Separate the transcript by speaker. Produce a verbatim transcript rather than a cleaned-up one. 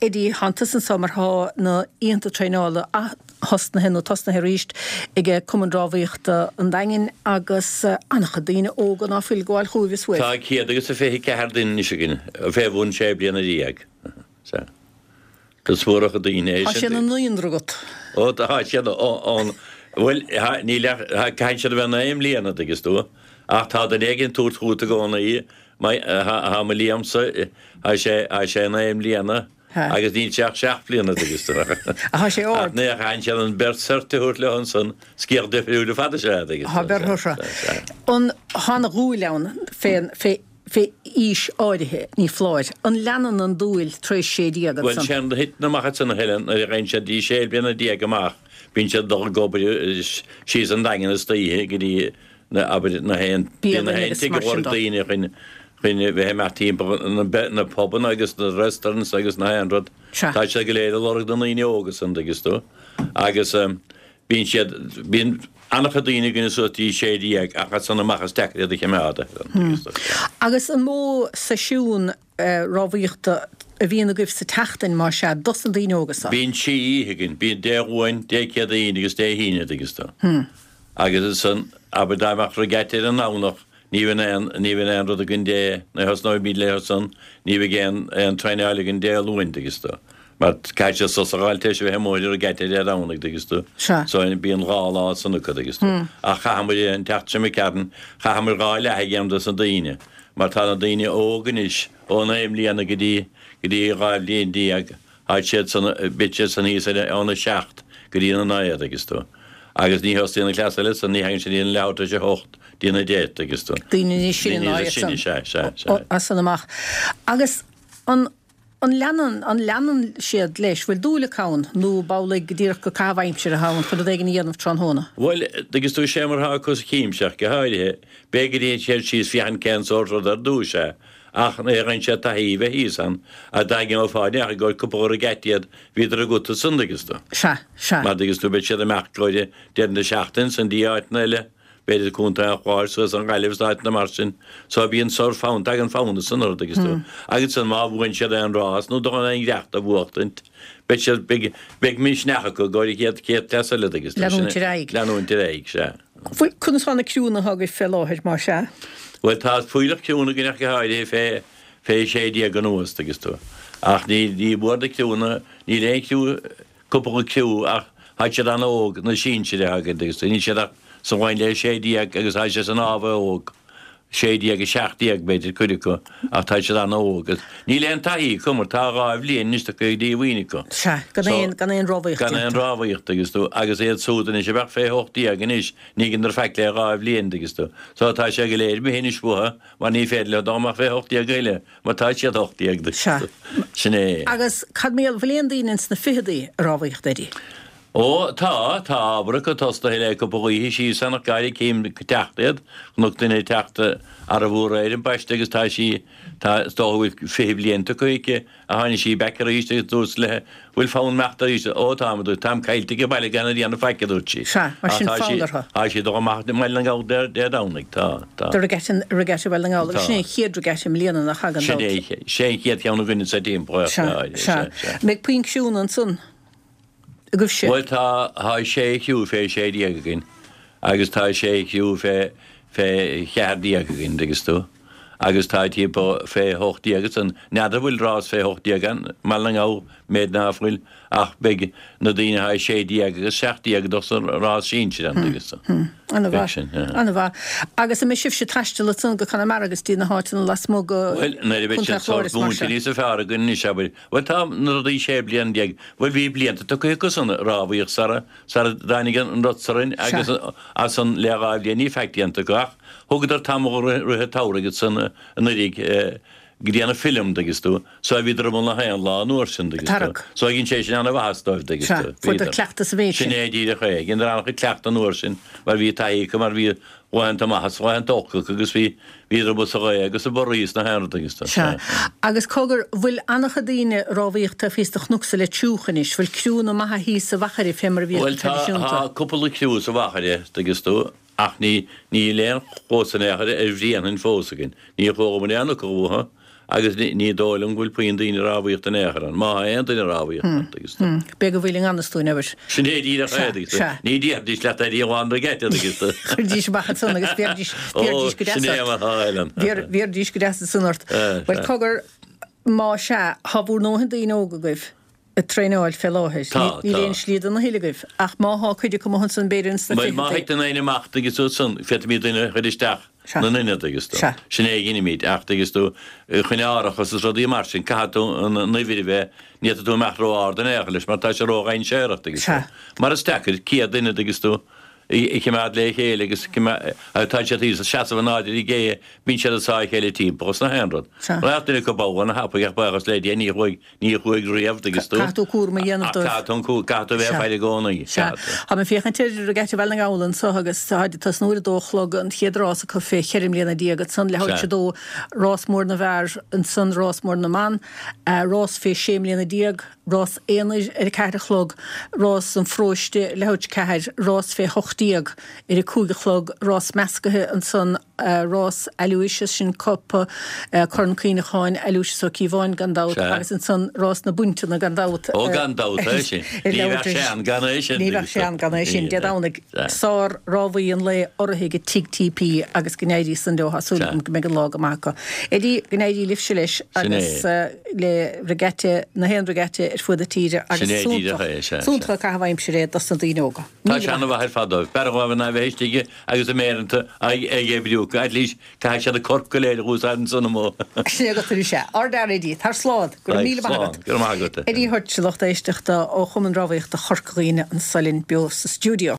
Speaker 1: Eddie, tánn tusa anso mar tá na oícheanta traenála ath-thosnaithe nó tosnaithe arís ag Cumann Rámhaíochta an Daingin agus an-chuid daoine óga ná fuil ag gabháil chugaibh is uaibh.
Speaker 2: Tá céad agus a fiche ceathair duine anois againn, fé bhun sé bliana déag. Sea. Is mór an chuid daoine é
Speaker 1: Tá
Speaker 2: sin.
Speaker 1: sé ina naíonra agat.
Speaker 2: Ó tá siad ann. Bhuel, níl ach, caithfidh siad a bheith naoi mbliana, dtuigeann tú. Ach tá duine éigin ag tabhairt chugat i gcónaí, tá mo Liamsa, tá sé, tá sé naoi mbliana agus níl sé ach seacht mbliana, dtuigeann tú.
Speaker 1: Tá sé ard.
Speaker 2: Ach ní chaithfidh siad an bheirt sort a thabhairt leo ansan, sciath difriúil ar fad is ea, dtuigeann tú.
Speaker 1: Tá beirt orthu. An, tá ana-dhúil ann fén, fé, fé aois áirithe, ní foláir. An leanann an dúil tar éis sé déag
Speaker 2: Bhuel,
Speaker 1: ansan?
Speaker 2: sé an thiteann amach ansan a Helen, nuair a gheibheann siad dtí sé bliana déag amach, bíonn siad ag dul ag obair síos an Daingean istoíche go dtí na, abair, na haon, bíonn na
Speaker 1: Bialann
Speaker 2: haon
Speaker 1: agus
Speaker 2: tigh
Speaker 1: mar
Speaker 2: a
Speaker 1: sin
Speaker 2: lorg
Speaker 1: de.
Speaker 2: daoine chun, chun a bheith imeacht timpeall na, na pubanna agus na restaurants agus na haon rud.
Speaker 1: Sea.
Speaker 2: Tá siad go léir ag lorg na ndaoine óga san, dtuigeann tú. Agus bíonn siad, bíonn an-chuid daoine againne suas dtí sé déag ach as san amach is deacair iad a choimeád.
Speaker 1: Agus an mó seisiún rámhaíochta a bhíonn agaibh sa tseachtain, más ea, dos na daoine óga so?
Speaker 2: Bíonn trí oíche againn, bíonn Dé Luain, Dé Céadaoin agus Dé hAoine, dtuigeann tú. Agus ansan, abair dá mbeadh regatta ar an nDomhnach, ní bheidh aon, ní bheidh aon rud againn Dé, nuair a thosnóimid léi ansan, ní bheidh aon, aon traenáil againn Dé Luain, dtuigeann tú. Mar caithfidh siad sos a fháil tar éis a bheith amuigh ar regatta Dé Domhnaigh, dtuigeann tú.
Speaker 1: Sea.
Speaker 2: So bíonn dhá lá ansan acu, dtuigeann tú. Ach chaitheamair an tseachtain seo imigh tharainn, chaitheamair dhá leath a dhéanamh dos na daoine. Mar tá na daoine óg anois, ó naoi mbliana go dtí, go dtí dhá bhliain déag, tá siad san, beidh siad san thíos ar óna seacht go dtí na naoi, dtuigeann tú. Agus ní thosaíonn an cleas eile san, ní thagann siad dtí an leathuair tar éis a hocht, dtí na deich, dtuigeann tú.
Speaker 1: Daoine níos sine
Speaker 2: Daoine
Speaker 1: ná
Speaker 2: níos
Speaker 1: iad san.
Speaker 2: sine, sea, sea, sea.
Speaker 1: As san amach. Agus an. An leanann, an leanann siad leis? Bhfuil dúil acu ann nó b'amhlaidh go díreach gur caitheamh aimsire atá ann chun rud éigin a dhéanamh tráthnóna?
Speaker 2: Bhuel, dtuigeann tú, sé mar atá acu sa chéim ach go háirithe, b'fhéidir go dtéann siad síos féachaint cén sórt rud ar dtús é, ach nuair a gheibheann siad taithí bheith thíos ann, a daingean fá ndear i gcomhair cúpla regatta iad, bhíodar agat ansan, dtuigeann tú.
Speaker 1: Sea, sea.
Speaker 2: Mar dtuigeann tú, beidh siad amach i gcomhair deireadh na seachtaine san dtí áiteanna eile. b'fhéidir Contae an Chláir suas an Ghaillimh is áiteanna mar sin. So bíonn sórt fonn, tagann fonn ansan orthu dtuigeann tú. Agus ansan má bhuann siad aon rás nó dul aon ghreacht a bhuachtaint, beidh siad, beidh, beidh misneach acu i gcomhair an chéad, chéad cleas eile dtuigeann tú.
Speaker 1: Leanúint ar aghaidh.
Speaker 2: Leanúint ar aghaidh, sea.
Speaker 1: Bhuel, conas tá na criúnna atá agaibh fé láthair, más ea?
Speaker 2: Bhuel, tá fuílleach criúnna againn ach go háirithe fé, fé sé déag anuas, dtuigeann tú. Ach ní, ní mór na criúnna, níl aon chriú, cúpla criú ach tá siad an-óg, na sinsir atá againn, dtuigeann tú, níl siad ach sa bhain le sé déag agus tá siad san ábhar óg, sé déag, a seacht déag b'fhéidir, cuid acu, ach tá siad an-óg. Níl aon taithí acu mar tá dhá bhliain anois tugtha ag díomhaoin acu.
Speaker 1: Sea, gan aon, gan aon rámhaíocht
Speaker 2: Gan aon
Speaker 1: déanta.
Speaker 2: rámhaíocht, dtuigeann tú, agus iad súd anois a bheadh fé hocht déag anois, ní dheineadar faic le dhá bhliain, dtuigeann tú. So tá sé go léir imithe anois uathu mar ní féidir leo dul amach fé hocht déag a thuilleadh. Mar tá siad ocht déag duit.
Speaker 1: Sea.
Speaker 2: Sin é.
Speaker 1: Agus cad mar gheall, bhfuil aon daoine ins na ficheadaí ag rámhaíocht, Eddie?
Speaker 2: Ó, tá, tá ábhar acu tosnaithe le cúpla oíche síos ann ach gairid cím ag teacht iad. Chonac duine ag teacht arbh aréir ambaiste agus tá sí, tá, is dócha go bhfuil fiche bliain tugtha aici a tháinig sí back arís agus dúirt léi, bhfuil fonn imeacht arís? Ó, táim, a dúirt, táim caillte ag baile gan a dhéanamh faic, a dúirt sí.
Speaker 1: Sea, mar sin
Speaker 2: Tá sí,
Speaker 1: fonn orthu.
Speaker 2: tá sí dul amach i mBaile na nGall Dé, Dé Domhnaigh, tá, tá.
Speaker 1: Do regatta, regatta Bhaile na nGall, agus
Speaker 2: Tá.
Speaker 1: sin é an chéad regatta i mbliana nach thagann
Speaker 2: Sin
Speaker 1: dabht.
Speaker 2: é, sé an chéad cheann againne sa timpeall,
Speaker 1: Sea,
Speaker 2: sea,
Speaker 1: sea.
Speaker 2: sea.
Speaker 1: Mbeidh puinn criúnna ansan agaibhse?
Speaker 2: Bhuel tá, tá sé chriú fé sé déag againn agus tá sé chriú fé, fé cheathair déag againn, dtuigeann tú. Agus tá timpeall fé hocht déag ansan. N'fheadar bhfuil rás fé hocht déag ann, i mBaile na nGall, méid ná fuil, ach beidh na daoine atá sé déag agus seacht déag ag dul sa rás sinsir ann, dtuigeann tú.
Speaker 1: Ana
Speaker 2: Beidh
Speaker 1: mhaith,
Speaker 2: sin, yeah.
Speaker 1: ana mhaith. Agus an mbeidh sibhse ag taisteal ansan go Conamara agus dtí na háiteanna lasmuigh go
Speaker 2: Bhuel, nuair a bheidh
Speaker 1: Contae
Speaker 2: siad sórt
Speaker 1: Chláir is mar
Speaker 2: múinte
Speaker 1: sin.
Speaker 2: níos fearr againn anois, abair. Bhuel, tá na rudaí sé bliana déag, bhuel bhí blianta tugtha acu san rámhaíocht sara, sara dtáinig an rud seo orainn
Speaker 1: Sea.
Speaker 2: agus as san le dhá bhliain ní faic déanta acu ach Thugadar tamall rith an tsamhraidh ansan anuraidh go dtí an film, dtuigeann tú. So bhíodar amuigh na haon lá an uair sin, dtuigeann tú.
Speaker 1: Tarrac.
Speaker 2: So dhein sé sin ana-mhaitheas dóibh, dtuigeann
Speaker 1: Sea,
Speaker 2: tú.
Speaker 1: fuaireadar
Speaker 2: Bhíodar.
Speaker 1: cleachtadh sa mhéid
Speaker 2: Sin
Speaker 1: sin.
Speaker 2: é díreach é. Dheineadar an-chuid cleachtadh an uair sin mar bhí taithí acu mar bhí laethanta maithe is laethanta olca acu agus bhí, bhíodar amuigh sa ghaoth agus sa bhorraí is na haon rud, dtuigeann tú.
Speaker 1: Sea.
Speaker 2: Sea.
Speaker 1: Agus cogar, bhfuil an-chuid daoine ag rámhaíocht taobh thíos de chnoc sa Leitir Triúch anois? Bhfuil criúnna maithe thíos sa Mhachaire fé mar a bhíodh
Speaker 2: Bhuel
Speaker 1: go
Speaker 2: tá,
Speaker 1: traidisiúnta?
Speaker 2: tá cúpla criú sa Mhachaire, dtuigeann tú. Ach ní, níl aon chluas in aon chor ar Bhréanainn fós againn. Níor chualamar aon fhocal uathu Agus ní dóigh liom go bhfuil puinn daoine rámhaíochta in aon chor ann, má tá aon duine rámhaíochta ann, tuigeann tú.
Speaker 1: B'fhéidir go bhfuil i ngan fhios dúinn, abair.
Speaker 2: Sin é díreach é, tuigeann tú. Ní déarfaidís leat é ní amháin regatta, tuigeann tú.
Speaker 1: Chuiridís amach ansan agus bhéarfaidís, bhéarfaidís go
Speaker 2: deas ort. Sin é mar atá, Helen.
Speaker 1: Bhéarfaidís go deas ansan ort. Bhuel, cogar, má sea, tá bhur ndóthain daoine óga agaibh ag traenáil fé láthair.
Speaker 2: Tá,
Speaker 1: Níl
Speaker 2: tá.
Speaker 1: aon slí do na thuilleadh agaibh. Ach má thá cuid acu amuigh ansan, b'fhéidir ins na
Speaker 2: Bhuel, má
Speaker 1: fichidí.
Speaker 2: thiteann éinne amach, tuigeann tú, ansan, féadfaimid duine a chur isteach.
Speaker 1: Sea.
Speaker 2: 'Na n-ionad, tuigeann tú.
Speaker 1: Sea.
Speaker 2: Sin é a dheinimid, ach tuigeann tú, chun árachas is rudaí mar sin, caithfidh tú an uimhir a bheith, ní fhéadfaidh tú imeacht ró-ard in aon chor leis mar tá sé ró-dhainséarach, tuigeann tú.
Speaker 1: Sea.
Speaker 2: Mar is deacair céad duine, tuigeann tú, a choimeád le chéile agus tá siad thíos ag seasamh in airde ar an gcé, bíonn siad ag sá a chéile timpeall is nach aon rud.
Speaker 1: Sea.
Speaker 2: Raghadh duine acu bogha ana-thapaidh ach buíochas le Dia ní chuaigh Ní chuaigh riamh, tuigeann tú.
Speaker 1: Caithfidh tú cúram a dhéanamh
Speaker 2: Ach
Speaker 1: dóibh.
Speaker 2: caithfidh tú an cú, caithfidh tú a bheith ag
Speaker 1: Sea.
Speaker 2: faire i gcónaí.
Speaker 1: Sea.
Speaker 2: Caithfidh tú.
Speaker 1: Tá mé ag féachaint ar Regatta Bhaile na nGall anso agus táid ag tosnú ar a dó a chlog an chéad rás acu fé cheithre mbliana déag ansan leathuair
Speaker 2: Sea.
Speaker 1: tar éis a dó rás mór na bhfear ansan rás mór na mban, rás fé sé mbliana déag, rás aonair ar a ceathair a chlog, rás an pharóiste leathuair tar éis a ceathair, rás fé hocht déag ar a cúig a chlog, rás meascaithe ansan, rás Aloysius, sin cupa Corn Cuimhneacháin Aloysius Ó Cíobháin gan dabht
Speaker 2: Sea.
Speaker 1: agus ansan rás na bpointeanna gan dabht.
Speaker 2: Ó gan dabht é sin.
Speaker 1: Ar
Speaker 2: Ní
Speaker 1: leabhar
Speaker 2: bheadh sé ann gan é sin.
Speaker 1: Ní bheadh sé ann gan é sin. Dé Domhnaigh, sár-rámhaí an lae urraithe ag Tigh TP agus go n-éirí san leo, tá súil
Speaker 2: Sea.
Speaker 1: agam go mbeidh an lá go maith acu. Eddie, go n-éirí libhse leis
Speaker 2: Sin é.
Speaker 1: agus le regatta, na haon regatta ar fuaid na tíre agus
Speaker 2: Sin é díreach
Speaker 1: suntach,
Speaker 2: é, sea,
Speaker 1: suntach
Speaker 2: sea.
Speaker 1: an caitheamh aimsire é dos na daoine óga.
Speaker 2: Tá
Speaker 1: Míle
Speaker 2: sé
Speaker 1: maith.
Speaker 2: ana-mhaith ar fad dóibh. B'fhearr dhóibh ná bheith istigh agus a méireanta ag oibriú. At least caithfidh siad a corp go léir a úsáid ansan amuigh.
Speaker 1: Sin agat arís é. Ardfhear Eddie, tar slán. Go raibh míle maith agat.
Speaker 2: Go raibh maith agat.
Speaker 1: Eddie Hutch, lucht éisteachta ó Chumann Rámhaíochta Chorca Dhuibhne anso linn beo sa stiúideo.